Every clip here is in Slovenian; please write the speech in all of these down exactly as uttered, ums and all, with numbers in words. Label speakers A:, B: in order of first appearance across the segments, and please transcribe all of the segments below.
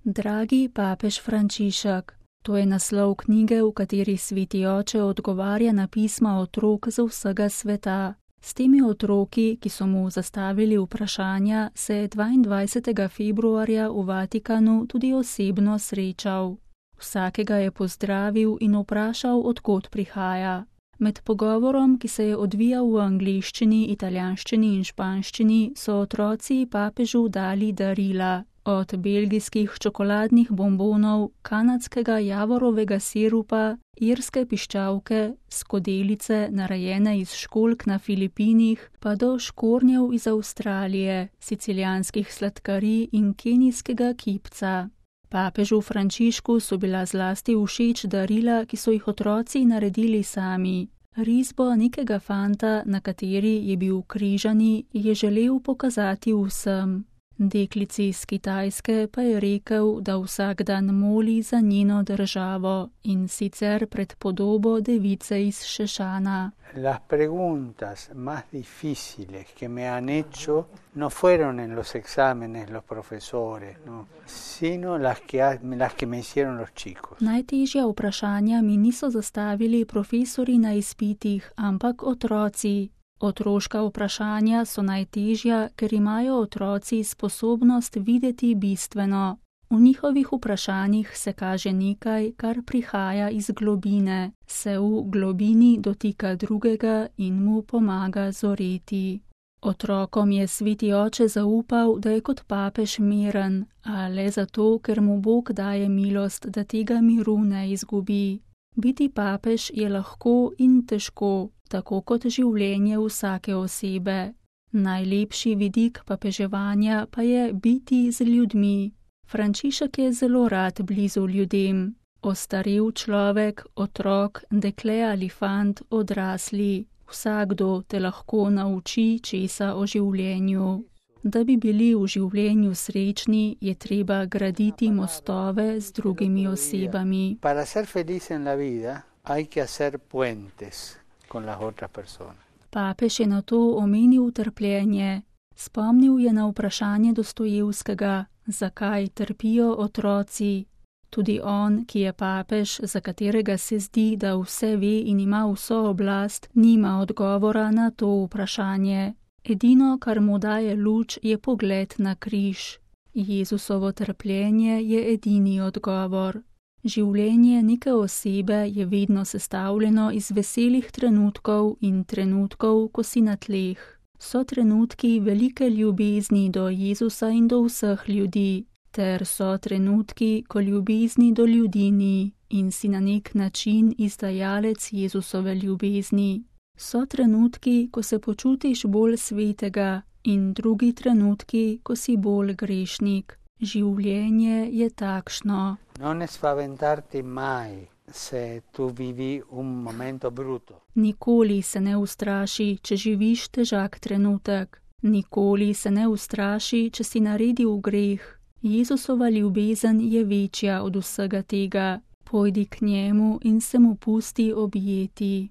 A: Dragi papež Frančišek, to je naslov knjige, v kateri sveti oče odgovarja na pisma otrok z vsega sveta. S temi otroki, ki so mu zastavili vprašanja, se je dvaindvajsetega februarja v Vatikanu tudi osebno srečal. Vsakega je pozdravil in vprašal, od kod prihaja. Med pogovorom, ki se je odvijal v angleščini, italijanščini in španščini, so otroci papežu dali darila. Od belgijskih čokoladnih bombonov, kanadskega javorovega sirupa, irske piščalke, skodelice, narejene iz školjk na Filipinih, pa do škornjev iz Avstralije, sicilijanskih sladkarij in kenijskega kipca. Papežu Frančišku so bila zlasti všeč darila, ki so jih otroci naredili sami. Risbo nekega fanta, na kateri je bil križani, je želel pokazati vsem. Deklici iz Kitajske pa je rekel, da vsak dan moli za njeno državo, in sicer pred podobo device iz Šešana.
B: Las preguntas más difíciles que me han hecho no fueron en los exámenes los profesores, no, sino las que, las que me hicieron los chicos.
A: Najtežja vprašanja mi niso zastavili profesori na izpitih, ampak otroci. Otroška vprašanja so najtežja, ker imajo otroci sposobnost videti bistveno. V njihovih vprašanjih se kaže nekaj, kar prihaja iz globine, se v globini dotika drugega in mu pomaga zoreti. Otrokom je sveti oče zaupal, da je kot papež miren, a le zato, ker mu Bog daje milost, da tega miru ne izgubi. Biti papež je lahko in težko, tako kot življenje vsake osebe. Najlepši vidik papeževanja pa je biti z ljudmi. Frančišek je zelo rad blizu ljudem. Ostarel človek, otrok, dekle ali fant, odrasli. Vsakdo te lahko nauči česa o življenju. Da bi bili v življenju srečni, je treba graditi mostove z drugimi osebami.
B: Para ser feliz en la vida, hay que hacer puentes con las otras personas.
A: Papež je na to omenil trpljenje. Spomnil je na vprašanje Dostojevskega, zakaj trpijo otroci. Tudi on, ki je papež, za katerega se zdi, da vse ve in ima vso oblast, nima odgovora na to vprašanje. Edino, kar mu daje luč, je pogled na križ. Jezusovo trpljenje je edini odgovor. Življenje neke osebe je vedno sestavljeno iz veselih trenutkov in trenutkov, ko si na tleh. So trenutki velike ljubezni do Jezusa in do vseh ljudi, ter so trenutki, ko ljubezni do ljudi ni in si na nek način izdajalec Jezusove ljubezni. So trenutki, ko se počutiš bolj svetega, in drugi trenutki, ko si bolj grešnik. Življenje je takšno.
B: No ne spaventarti mai, se tu vivi un momento bruto.
A: Nikoli se ne ustraši, če živiš težak trenutek. Nikoli se ne ustraši, če si naredil greh. Jezusova ljubezen je večja od vsega tega. Pojdi k njemu in se mu pusti objeti.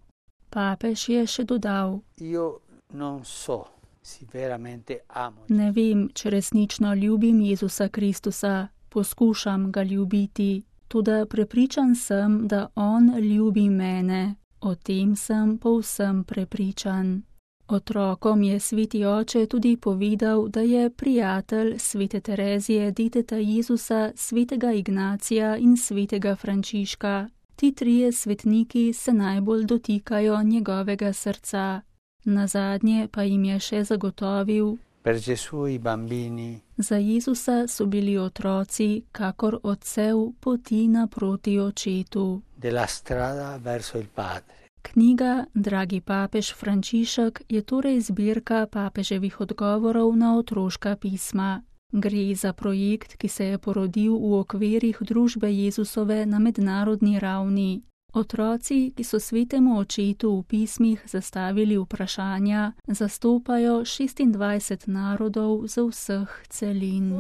A: Papež je še dodal:
B: Io non so si veramente amo.
A: Ne vem, če resnično ljubim Jezusa Kristusa, poskušam ga ljubiti, toda prepričan sem, da on ljubi mene. O tem sem povsem prepričan. Otrokom je sveti oče tudi povedal, da je prijatelj svete Terezije, deteta Jezusa, svetega Ignacija in svetega Frančiška. Ti trije svetniki se najbolj dotikajo njegovega srca. Nazadnje pa jim je še zagotovil:
B: Per Gesù i bambini.
A: Za Jezusa so bili otroci, kakor odsev poti naproti očetu.
B: Della strada verso il Padre.
A: Knjiga Dragi papež Frančišek je torej zbirka papeževih odgovorov na otroška pisma. Gre za projekt, ki se je porodil v okvirih družbe Jezusove na mednarodni ravni. Otroci, ki so svetemu očetu v pismih zastavili vprašanja, zastopajo šestindvajset narodov z vseh celin.